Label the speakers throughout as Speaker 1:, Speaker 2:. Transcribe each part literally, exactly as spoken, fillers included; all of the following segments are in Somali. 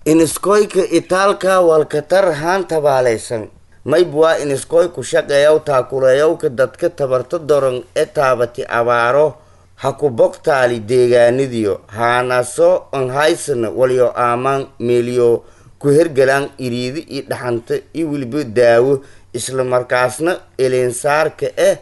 Speaker 1: Iniskoyka itaalka walkatar haan tabaalaysan mayb waa iniskoy ku shaqeeyaw taakuleeyawka dadka tabarta doran ee taabati abaaro ha ku bogtaali deegaanadiyo haanaso an haysana walyo aamaan meeliyo ku hergalaan iriidi iyo dhaxanta iyo weliba daawo, isla markaasna elinsaarka eh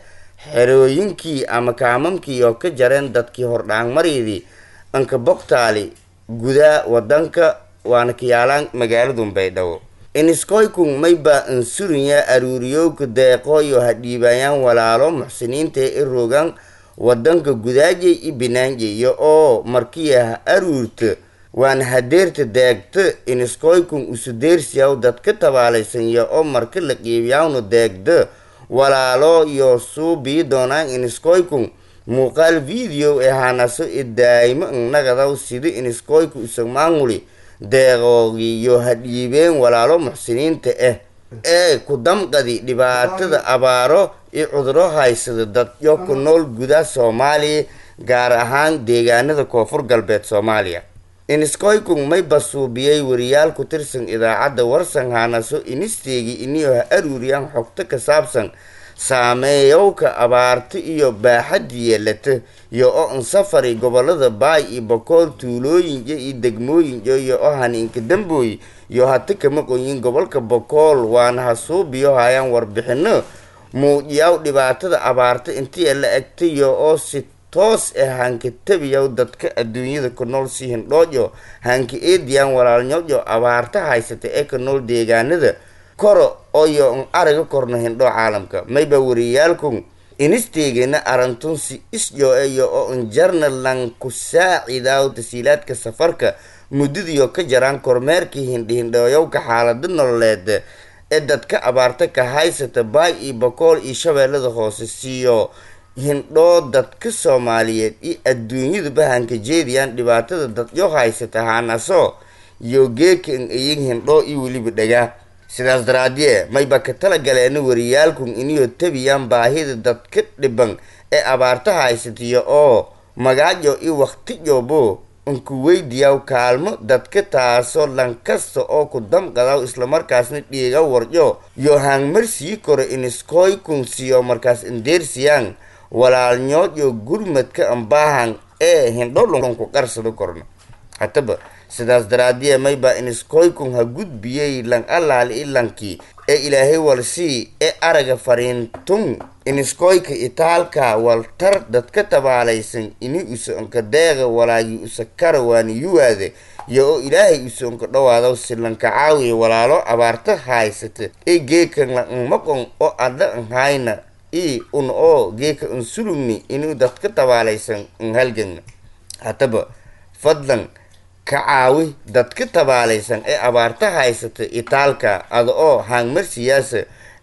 Speaker 1: xerooyinkii ama kaamamkii oo ka jareen dadkii hordhaangmareydii anka bogtaali gudaa wadanka waana kayaalaan magaaladun Baydhabo. Iniskoykun mayba ansurinyaa aruuriyowka deeqooyo ha dhiibayaan walaalo muxsiniinta e rogan wadanka gudaajay i binaanjaya oo markiya ha aruurta waana hadeerta deegta. Iniskoykun usudeersiyaw dadka tabaalaysan oo marka la qiibiyawna deegda walaalo iyo suubii doonaan. Iniskoykun muuqaal video ee hanaso i daayimo nagadaw sida iniskoyku isagmaanguli deeqoogiyo ha dhiibeen walaalo muxsiniinta ah ee ku damqadi dhibaatada abaaro iyo cuduro haysada dadyo ku nool gudaha Soomaaliya, gaar ahaan deegaanada Koonfur Galbeed Soomaaliya. Iniskoykun may basuubiyey wariyaal ku tirsan idaacadda Warsan haanaso inisteegi iniyo ha aruuriyaan xogto ka saabsan saameeyowka abaarta iyo baaxadda yeelata iyo oo ansafari gobolada Baay iyo Bakool, tuulooyinka iyo degmooyinka iyo oo haniinka dambooy iyo hata kama qoyin gobolka Bakool, waana ha suubiyo hayaan warbixino muujiyaw dhibaatada abaarta intii la egtayo oo si toos ah hanka tabiyaw dadka adduunyada ku nool si hindhoojo hanka eediyaan walaalnyojo abaarta haysata ee ka nool deegaanada koro oyo n araga korno hindhoo caalamka. Mayba wariyaalkun inisteegana arantun si isjo iyo oo njarna lan ku saacidaw tasiilaadka safarka muddadiyo ka jaraan kormeerkii hindhihindhooyowka xaalada nololeed ee dadka abaarta ka haysata Baay iyo Bakool iyo Shabeellada Hoose, siiyo hindhoo dadka Soomaaliyeed iyo adduunyaduba hanka jeediyaan dhibaatada dadyo haysata haanaso iyo geeka n iyin hindhoo iyo weliba dhagaa. Sidaas daraadie mayba ka tala galeena wariyaalkun iniyo tabiyaan baahida dadka dhiban ee abaarta haysatiyo oo magaajo iyo waqtijobo unku weydiyaw kaalmo dadka, taasoo lankasta oo ku damqadaw islamarkaasna dhiiga warjo yo haangmarsii koro iniskoykun siyo markaas indeersiyaan walaalnyood gurmadka ambaahan ee hindholunku qarsado korno hataba. Sidaas daraadiye mayba iniskoykun ha gudbiyey lan allaali ilankii ee Ilaahay walsii ee araga fariintun iniskoyka itaalka waltar dadka tabaalaysan ini usa onka deeqa walaagii usa kara waana yuwaade iyo oo Ilaahay usa onka dhawaado si lanka caawiya walaalo abaarta haysata ee geekan la nmaqon oo adla n hayna i un oo geeka unsulugni inuu dadka tabaalaysan n halgagna. Hataba fadlan ka caawi dadka tabaalaysan ee abaarta haysata itaalka ada oo haangmarsiyaasa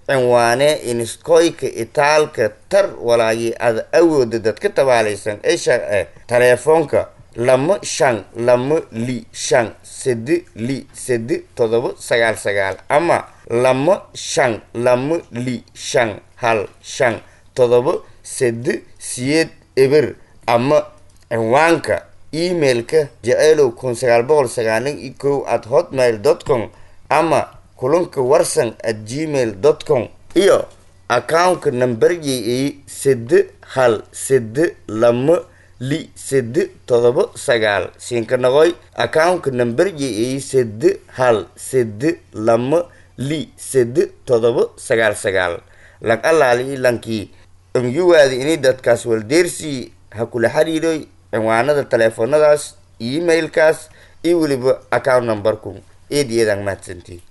Speaker 1: cinwaane iniskoyka itaalka tar walaagii ada awooda dadka tabaalaysan ee sharce taleefoonka lama shan lama li shan sede li sede todoba sagaal sagaal ama lama shan lama li shan hal shan todoba sede siyeed eber ama cinwaanka emailka jeceelow kun sagaal boqol sagaalan iyo kow at hotmail dot com ama kulanka warsan at gmail dot com iyo accountka nambarjey sede hal sede lama li sede todoba sagaal siinka noqoy accountka nambarjey sede hal sede lama li sede todoba sagaal sagaal. Lang allaali lankii nyuwaadi inay dadkaas waldeersii ha kula xiriiroy cinwaanada taleefoonadaas, emailkaas iyo weliba account numberku. Eed iyadan mahadsantii.